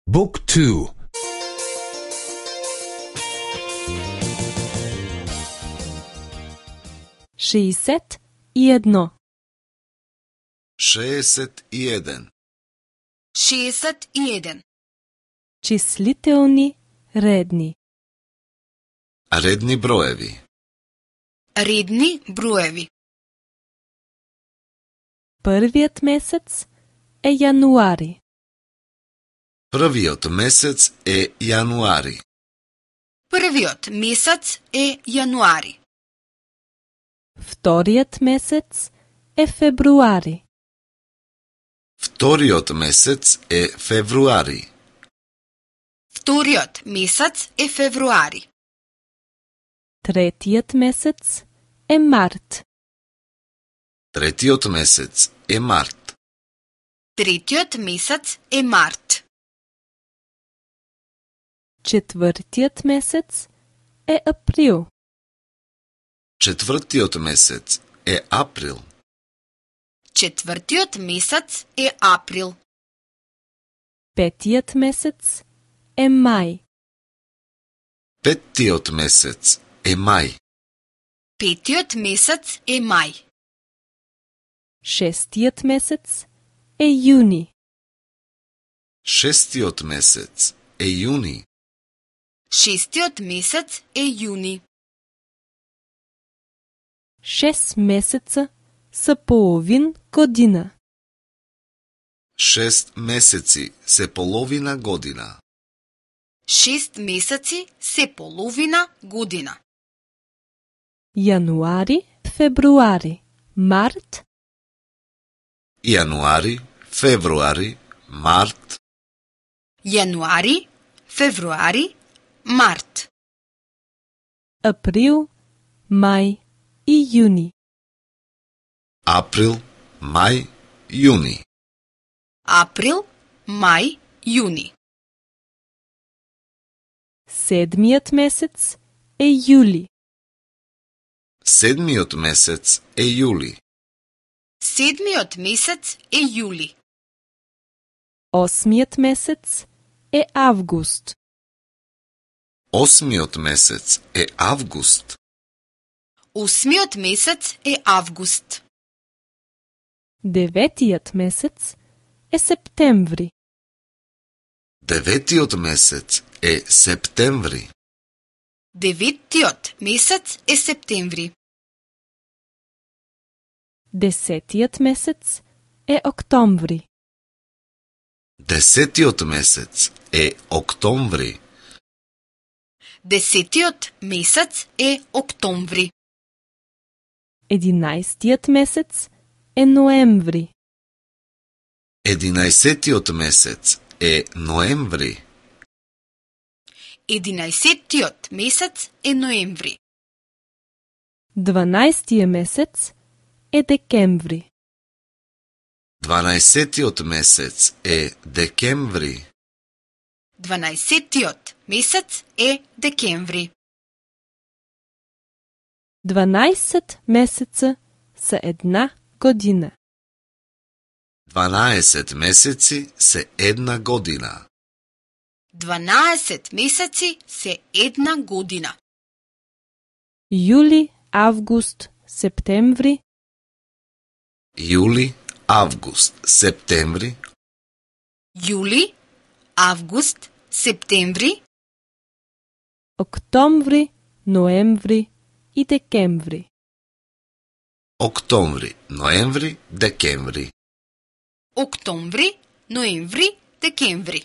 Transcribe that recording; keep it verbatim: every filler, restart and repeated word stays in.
Book two. шеесет и едно. шеесет и еден. шеесет и еден. Числителни редни. Редни броеви. Редни броеви. Првиот месец е јануари. Првиот месец е јануари. Првиот месец е јануари. Вториот месец е февруари. Вториот месец е февруари. Вториот месец е февруари. Третиот месец е март. Третиот месец е март. Третиот месец е март. Четвртиот месец е април. Четвртиот месец е април. Четвртиот месец е април. Петиот месец е мај. Петтиот месец е мај. Петиот месец е мај. Шестиот месец е јуни. Шестиот месец е јуни. Шестиот месец е јуни. Шест месеца са половин година. Шест месеци се половина година. Шест месеци се половина година. Јануари, февруари, март, Јануари, февруари, март, Јануари, февруари, март. април, мај и јуни. април, мај, јуни. Април, мај, јуни. Седмиот месец е јули. Седмиот месец е јули. Седмиот месец е јули. Осмиот месец е август. Осмиот месец е август. Осмиот месец е август. Деветиот месец е септември. Деветиот месец е септември. Деветиот месец е септември. Десетиот месец е октомври. Десетиот месец е октомври. Десетиот месец е октомври. Единаесеттиот месец е ноември. Единаесеттиот месец е ноември. Единаесеттиот месец е ноември. Дванаесеттиот месец е декември. Дванаесеттиот месец е декември. Дванаесеттиот месец е декември. Дванаесет месеца са една година. Дванаесет месеци се една година. Дванаесет месеци се една година. Јули, август, септември, Јули, август, септември, Јули, август, септември, октомври, ноември и декември. октомври, ноември, декември. октомври, ноември, декември.